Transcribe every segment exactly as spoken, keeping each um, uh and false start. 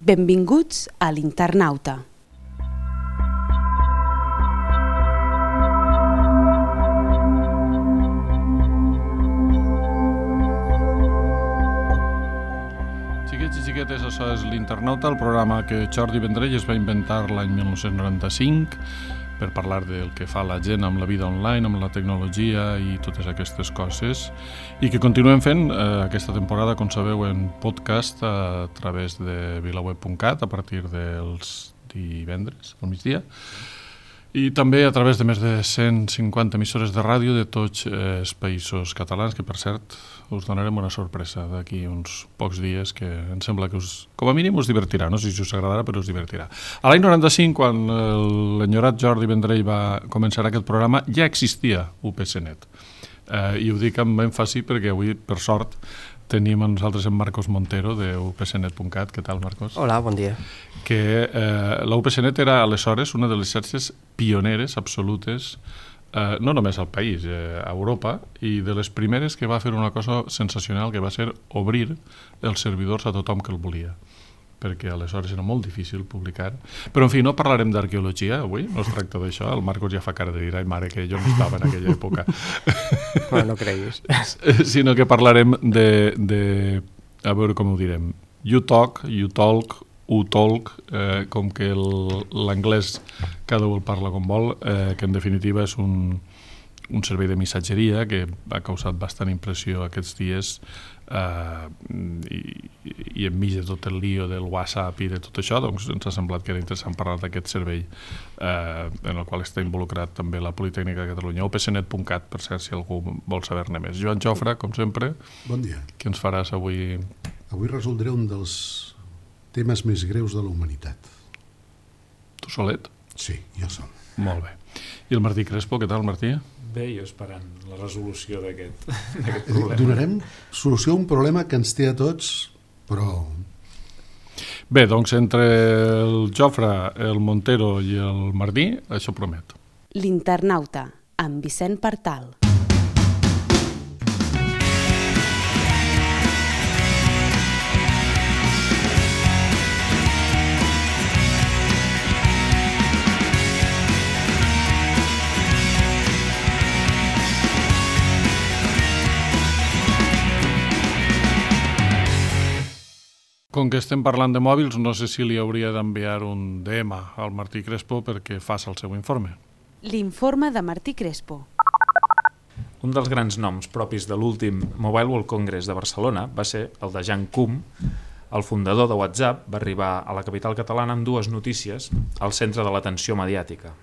Benvinguts a l'Internauta. Xiquets i xiquetes, això és l'Internauta, el programa que Jordi Vendrell es va inventar l'any mil nou-cents noranta-cinc per parlar del que fa la gent amb la vida online, amb la tecnologia i totes aquestes coses, i que continuem fent eh, aquesta temporada, com sabeu, en podcast a través de vilaweb punt cat a partir dels divendres al migdia, i també a través de més de cent cinquanta emissores de ràdio de tots eh, els països catalans, que per cert us donarem una sorpresa d'aquí uns pocs dies que em sembla que us, com a mínim us divertirà, no sé si us agradarà, però us divertirà. A l'any noranta-cinc, quan l'enyorat Jordi Vendrell va començar aquest programa, ja existia U P C net. Eh, I ho dic amb èmfasi perquè avui, per sort, tenim a nosaltres en Marcos Montero de u p c net punt cat. Què tal, Marcos? Hola, bon dia. Que eh, la U P C net era aleshores una de les xarxes pioneres absolutes, eh, no només al país, eh, a Europa, i de les primeres que va fer una cosa sensacional, que va ser obrir els servidors a tothom que el volia, perquè aleshores era molt difícil publicar. Però, en fi, no parlarem d'arqueologia avui, no es tracta d'això. El Marcos ja fa cara de dir, ai mare, que jo no estava en aquella època. Bueno, no creguis. Sinó que parlarem de, de, a veure com ho direm, you talk, you talk, u talk, eh, com que l'anglès cada un el parla com vol, eh, que en definitiva és un, un servei de missatgeria que ha causat bastant impressió aquests dies, eh, i, i enmig de tot el lío del WhatsApp i de tot això, doncs ens ha semblat que era interessant parlar d'aquest servei eh, en el qual està involucrat també la Politècnica de Catalunya. u p c net punt cat, per cert, si algú vol saber-ne més. Joan Jofre, com sempre, bon dia. Què ens faràs avui? Avui resoldré un dels temes més greus de la humanitat. Tu solet? Sí, jo sol. Molt bé. I el Martí Crespo, què tal, Martí? Bé, jo esperant la resolució d'aquest problema. Donarem solució a un problema que ens té a tots, però... Bé, doncs entre el Jofre, el Montero i el Martí, això promet. L'Internauta, amb Vicent Partal. Com que estem parlant de mòbils, no sé si li hauria d'enviar un D M al Martí Crespo perquè faci el seu informe. L'informe de Martí Crespo. Un dels grans noms propis de l'últim Mobile World Congress de Barcelona va ser el de Jan Koum. El fundador de WhatsApp va arribar a la capital catalana amb dues notícies al centre de l'atenció mediàtica.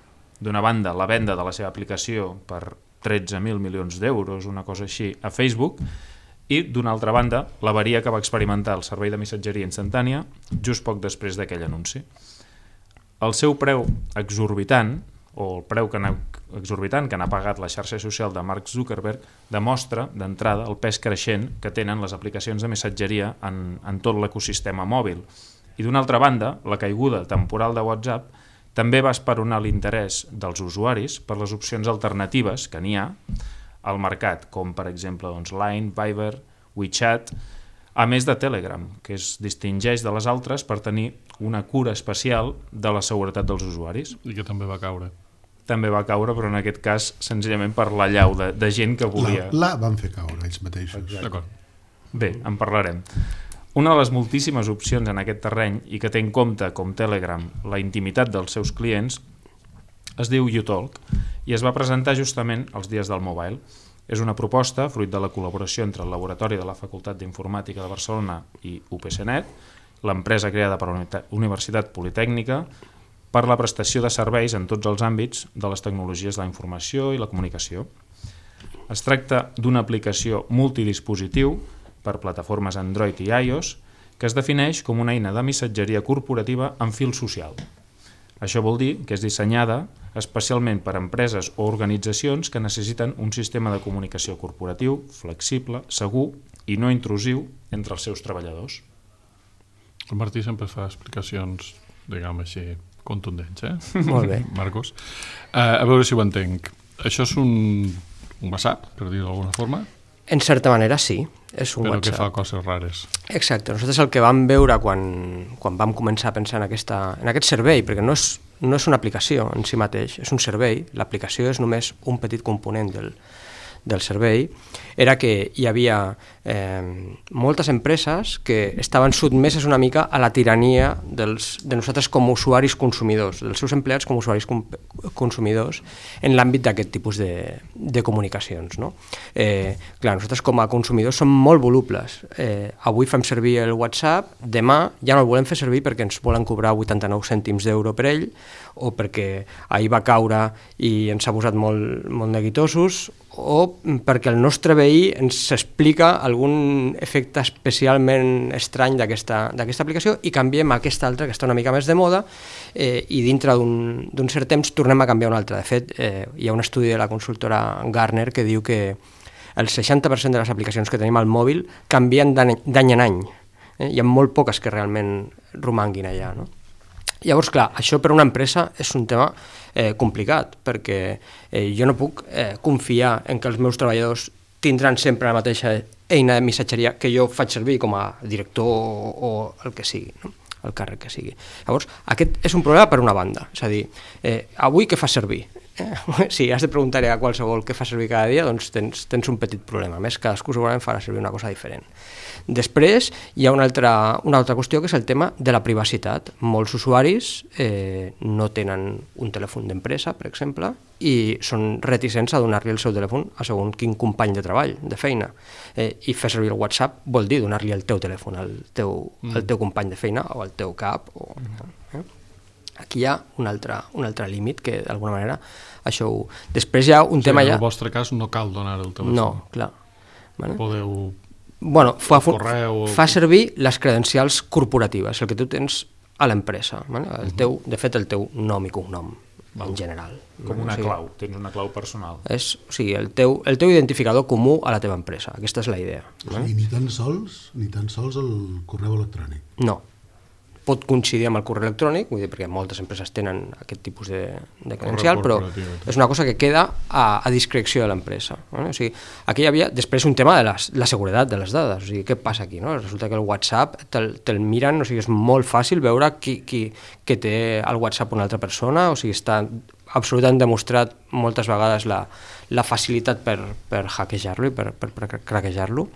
D'una banda, la venda de la seva aplicació per tretze mil milions d'euros, una cosa així, a Facebook, i, d'una altra banda, l'avaria que va experimentar el servei de missatgeria instantània just poc després d'aquell anunci. El seu preu exorbitant, o el preu que n'ha, exorbitant que n'ha pagat la xarxa social de Mark Zuckerberg, demostra, d'entrada, el pes creixent que tenen les aplicacions de missatgeria en, en tot l'ecosistema mòbil. I, d'una altra banda, la caiguda temporal de WhatsApp també va esperonar l'interès dels usuaris per les opcions alternatives que n'hi ha al mercat, com per exemple doncs, Line, Viber, WeChat, a més de Telegram, que es distingeix de les altres per tenir una cura especial de la seguretat dels usuaris. I que també va caure. També va caure, però en aquest cas senzillament per la llau de, de gent que volia... La, la van fer caure ells mateixos. D'acord. Bé, en parlarem. Una de les moltíssimes opcions en aquest terreny i que té en compte, com Telegram, la intimitat dels seus clients, es diu YouTalk i es va presentar justament els dies del mobile. És una proposta fruit de la col·laboració entre el Laboratori de la Facultat d'Informàtica de Barcelona i U P C net, l'empresa creada per la Universitat Politècnica, per la prestació de serveis en tots els àmbits de les tecnologies de la informació i la comunicació. Es tracta d'una aplicació multidispositiu per plataformes Android i iOS que es defineix com una eina de missatgeria corporativa amb fil social. Això vol dir que és dissenyada especialment per a empreses o organitzacions que necessiten un sistema de comunicació corporatiu, flexible, segur i no intrusiu entre els seus treballadors. El Martí sempre fa explicacions, diguem així, contundents, eh? Molt bé. Marcos. Uh, a veure si ho entenc. Això és un, un WhatsApp, per dir-ho d'alguna forma? En certa manera, sí. és un però WhatsApp. que fa coses rares. Exacte. Nosaltres el que vam veure quan, quan vam començar a pensar en, aquesta, en aquest servei, perquè no és, no és una aplicació en si mateix, és un servei, l'aplicació és només un petit component del, del servei, era que hi havia eh, moltes empreses que estaven sotmeses una mica a la tirania dels, de nosaltres com a usuaris consumidors, dels seus empleats com a usuaris com, consumidors en l'àmbit d'aquest tipus de, de comunicacions. No? Eh, clar, nosaltres com a consumidors som molt volubles. Eh, avui fem servir el WhatsApp, demà ja no el volem fer servir perquè ens volen cobrar vuitanta-nou cèntims d'euro per ell, o perquè ahir va caure i ens ha posat molt, molt neguitosos, o perquè el nostre veí ens explica algun efecte especialment estrany d'aquesta aplicació i canviem a aquesta altra que està una mica més de moda eh, i dintre d'un cert temps tornem a canviar una altra. De fet, eh, hi ha un estudi de la consultora Gartner que diu que el seixanta per cent de les aplicacions que tenim al mòbil canvien d'any en any. Eh? Hi ha molt poques que realment romanguin allà, no? Llavors, clar, això per una empresa és un tema eh, complicat, perquè eh, jo no puc eh, confiar en que els meus treballadors tindran sempre la mateixa eina de missatgeria que jo faig servir com a director o, o el que sigui, no? El càrrec que sigui. Llavors, aquest és un problema per una banda, és a dir, eh, avui què fas servir? Eh? Si has de preguntar-hi a qualsevol què fa servir cada dia, doncs tens, tens un petit problema, a més cadascú segurament farà servir una cosa diferent. Després hi ha una altra, una altra qüestió que és el tema de la privacitat. Molts usuaris eh, no tenen un telèfon d'empresa, per exemple, i són reticents a donar-li el seu telèfon a segons quin company de treball, de feina. Eh, I fer servir el WhatsApp vol dir donar-li el teu telèfon al teu, mm. al teu company de feina o al teu cap. O, eh? Aquí hi ha un altre, un altre límit que d'alguna manera això ho... Després hi ha un sí, tema ja... En ja... el vostre cas no cal donar el telèfon. No, clar. Vale? Podeu... Bueno, fa, correu... fa servir les credencials corporatives, el que tu tens a l'empresa, vale? El teu, de fet el teu nom i cognom, en general. Com una o sigui, clau, tens una clau personal. És, o sigui, el teu, el teu identificador comú a la teva empresa, aquesta és la idea. O sigui, ni tan sols, ni tan sols el correu electrònic. No. Pot coincidir amb el correu electrònic, vull dir, perquè moltes empreses tenen aquest tipus de, de credencial, però és una cosa que queda a, a discreció de l'empresa. No? O sigui, aquí hi havia després un tema de les, la seguretat de les dades. O sigui, què passa aquí? No? Resulta que el WhatsApp te'l te miren, o sigui, és molt fàcil veure qui, qui, qui té el WhatsApp una altra persona, o sigui, està absolutament demostrat moltes vegades la, la facilitat per, per hackejar-lo i per, per, per craquejar-lo.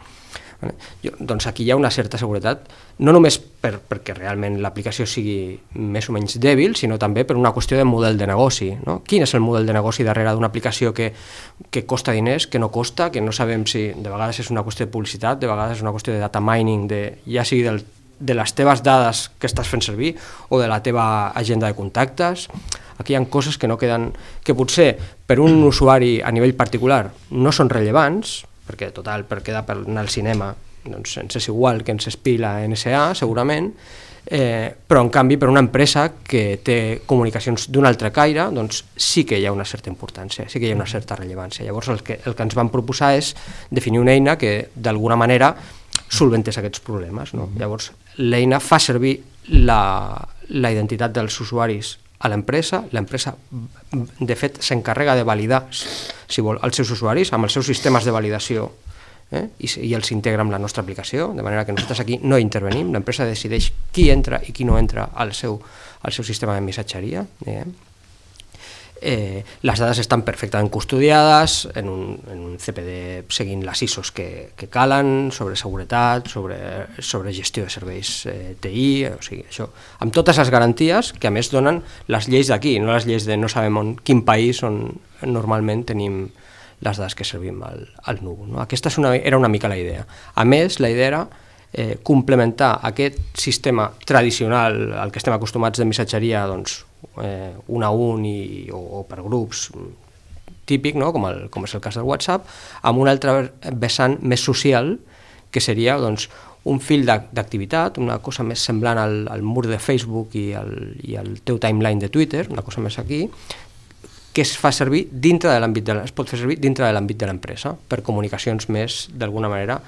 Jo, doncs aquí hi ha una certa seguretat, no només per, perquè realment l'aplicació sigui més o menys dèbil, sinó també per una qüestió de model de negoci. No? Quin és el model de negoci darrere d'una aplicació que, que costa diners, que no costa, que no sabem si de vegades és una qüestió de publicitat, de vegades és una qüestió de data mining, de, ja sigui del, de les teves dades que estàs fent servir o de la teva agenda de contactes. Aquí hi ha coses que no queden, que potser per un usuari a nivell particular no són rellevants, perquè total, per quedar per anar al cinema doncs ens és igual que ens espia la N S A segurament, eh, però en canvi per una empresa que té comunicacions d'un altre caire, doncs sí que hi ha una certa importància, sí que hi ha una certa rellevància. Llavors el que, el que ens van proposar és definir una eina que d'alguna manera solventés aquests problemes. No? Llavors l'eina fa servir la, la identitat dels usuaris a l'empresa, l'empresa de fet s'encarrega de validar, si vol, els seus usuaris amb els seus sistemes de validació eh? I, i els integra amb la nostra aplicació, de manera que nosaltres aquí no intervenim, l'empresa decideix qui entra i qui no entra al seu, al seu sistema de missatgeria. Eh? Eh, les dades estan perfectament custodiades en un, en un C P D seguint les I S Os que, que calen, sobre seguretat, sobre, sobre gestió de serveis eh, T I, o sigui, això, amb totes les garanties que a més donen les lleis d'aquí, no les lleis de no sabem on, quin país on normalment tenim les dades que servim al, al núvol. No? Aquesta és una, era una mica la idea. A més, la idea era eh, complementar aquest sistema tradicional al que estem acostumats de missatgeria, doncs, eh, un a un i, o, o per grups típic, no? com, el, com és el cas del WhatsApp, amb un altre vessant més social, que seria doncs, un fil d'activitat, una cosa més semblant al, al mur de Facebook i al, i al teu timeline de Twitter, una cosa més aquí, que es fa servir dintre de l'àmbit de, es pot fer servir dintre de l'àmbit de l'empresa per comunicacions més, d'alguna manera,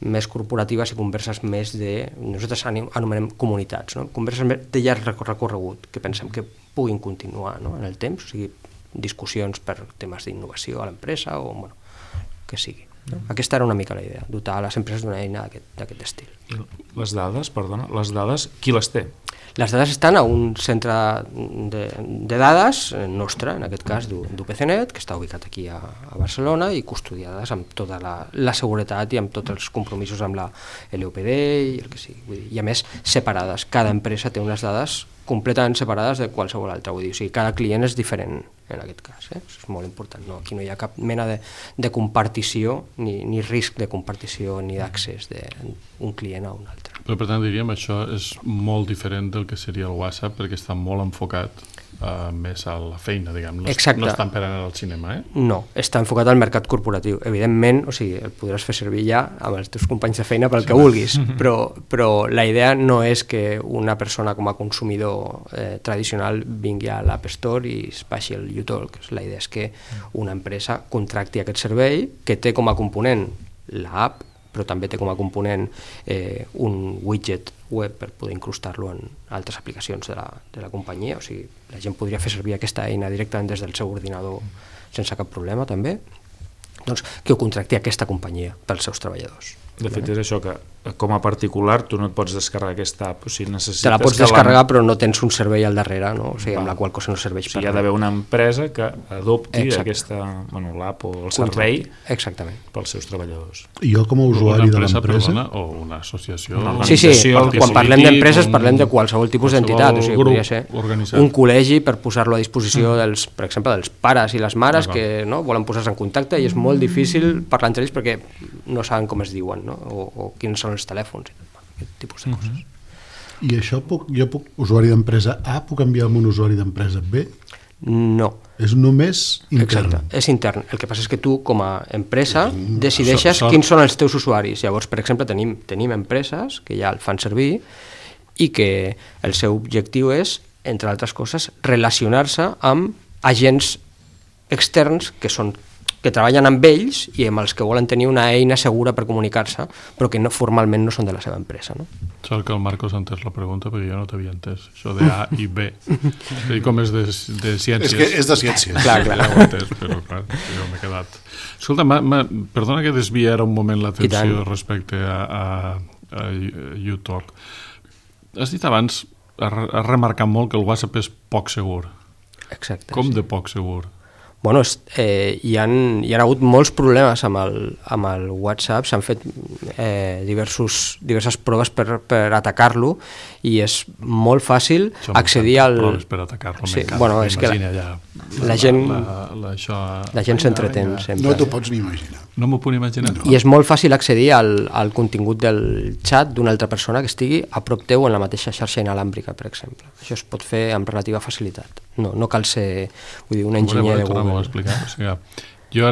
més corporatives i converses més de, nosaltres anomenem comunitats, no? Converses més de llarg recorregut, que pensem que puguin continuar, no? En el temps, o sigui, discussions per temes d'innovació a l'empresa o bueno, que sigui. No? Aquesta era una mica la idea, dotar les empreses d'una eina d'aquest estil. Les dades, perdona, les dades, qui les té? Les dades estan a un centre de, de dades nostre, en aquest cas d'U P C net, que està ubicat aquí a, a Barcelona i custodiades amb tota la, la seguretat i amb tots els compromisos amb la L O P D i el que sigui. Vull dir, i a més separades, cada empresa té unes dades completament separades de qualsevol altra, vull dir, o sigui, cada client és diferent en aquest cas, eh? Això és molt important, no? Aquí no hi ha cap mena de, de compartició ni, ni risc de compartició ni d'accés d'un client a un altre. Però, per tant, diríem, això és molt diferent del que seria el WhatsApp perquè està molt enfocat uh, més a la feina, diguem. No, Exacte. No estan per anar al cinema, eh? No, està enfocat al mercat corporatiu. Evidentment, o sigui, el podràs fer servir ja amb els teus companys de feina pel sí. que vulguis, però, però la idea no és que una persona com a consumidor eh, tradicional vingui a l'App Store i es baixi el YouTalk. La idea és que una empresa contracti aquest servei que té com a component l'app, però també té com a component eh, un widget web per poder incrustar-lo en altres aplicacions de la, de la companyia. O sigui, la gent podria fer servir aquesta eina directament des del seu ordinador sense cap problema, també. Doncs que ho contracti aquesta companyia pels seus treballadors. De fet, és això, que com a particular tu no et pots descarregar aquesta app. O sigui, necessites te la pots descarregar, però no tens un servei al darrere, no? O sigui, amb la qual cosa no serveix o sigui, per hi ha d'haver una empresa que adopti Exacte. aquesta, bueno, l'app o el servei Exactament. pels seus treballadors. Jo com a usuari de l'empresa... Perdona, o una associació... Una Sí, sí, quan parlem d'empreses un, parlem de qualsevol tipus d'entitat, o sigui, podria ser organitzat. un col·legi per posar-lo a disposició Mm. dels, per exemple, dels pares i les mares que no, volen posar-se en contacte i és molt difícil parlar entre ells perquè no saben com es diuen, no? o, o quins són els telèfons, aquest tipus de coses. I això puc, jo puc, usuari d'empresa A, puc enviar amb un usuari d'empresa B? No. És només intern? Exacte, és intern. El que passa és que tu, com a empresa, Mm, decideixes so, so... quins són els teus usuaris. Llavors, per exemple, tenim, tenim empreses que ja el fan servir i que el seu objectiu és, entre altres coses, relacionar-se amb agents externs que són que treballen amb ells i amb els que volen tenir una eina segura per comunicar-se, però que no, formalment no són de la seva empresa. No? Sort que el Marcos ha entès la pregunta perquè jo no t'havia entès, això de A i B. I com és de, de ciències. És que és de ciències. Clar, clar. Ja ho he entès, però clar, jo m'he quedat. Escolta, ma, ma, perdona que desvia ara un moment l'atenció respecte a, a, a YouTalk. Has dit abans, has remarcat molt que el WhatsApp és poc segur. Exacte. Com sí. de poc segur? Bueno, eh, hi, han, hi ha hagut molts problemes amb el, amb el WhatsApp, s'han fet eh, diversos, diverses proves per, per atacar-lo i és molt fàcil això accedir al... Proves per atacar-lo, sí, m'encanta. bueno, és que la, ja, la, la gent, la, la, això... la gent s'entretén sempre. No t'ho pots ni imaginar. No m'ho puc imaginar. I és molt fàcil accedir al, al contingut del xat d'una altra persona que estigui a prop teu en la mateixa xarxa inalàmbrica, per exemple. Això es pot fer amb relativa facilitat. No, no cal ser vull dir, un enginyer de Google. Explicar. O sigui,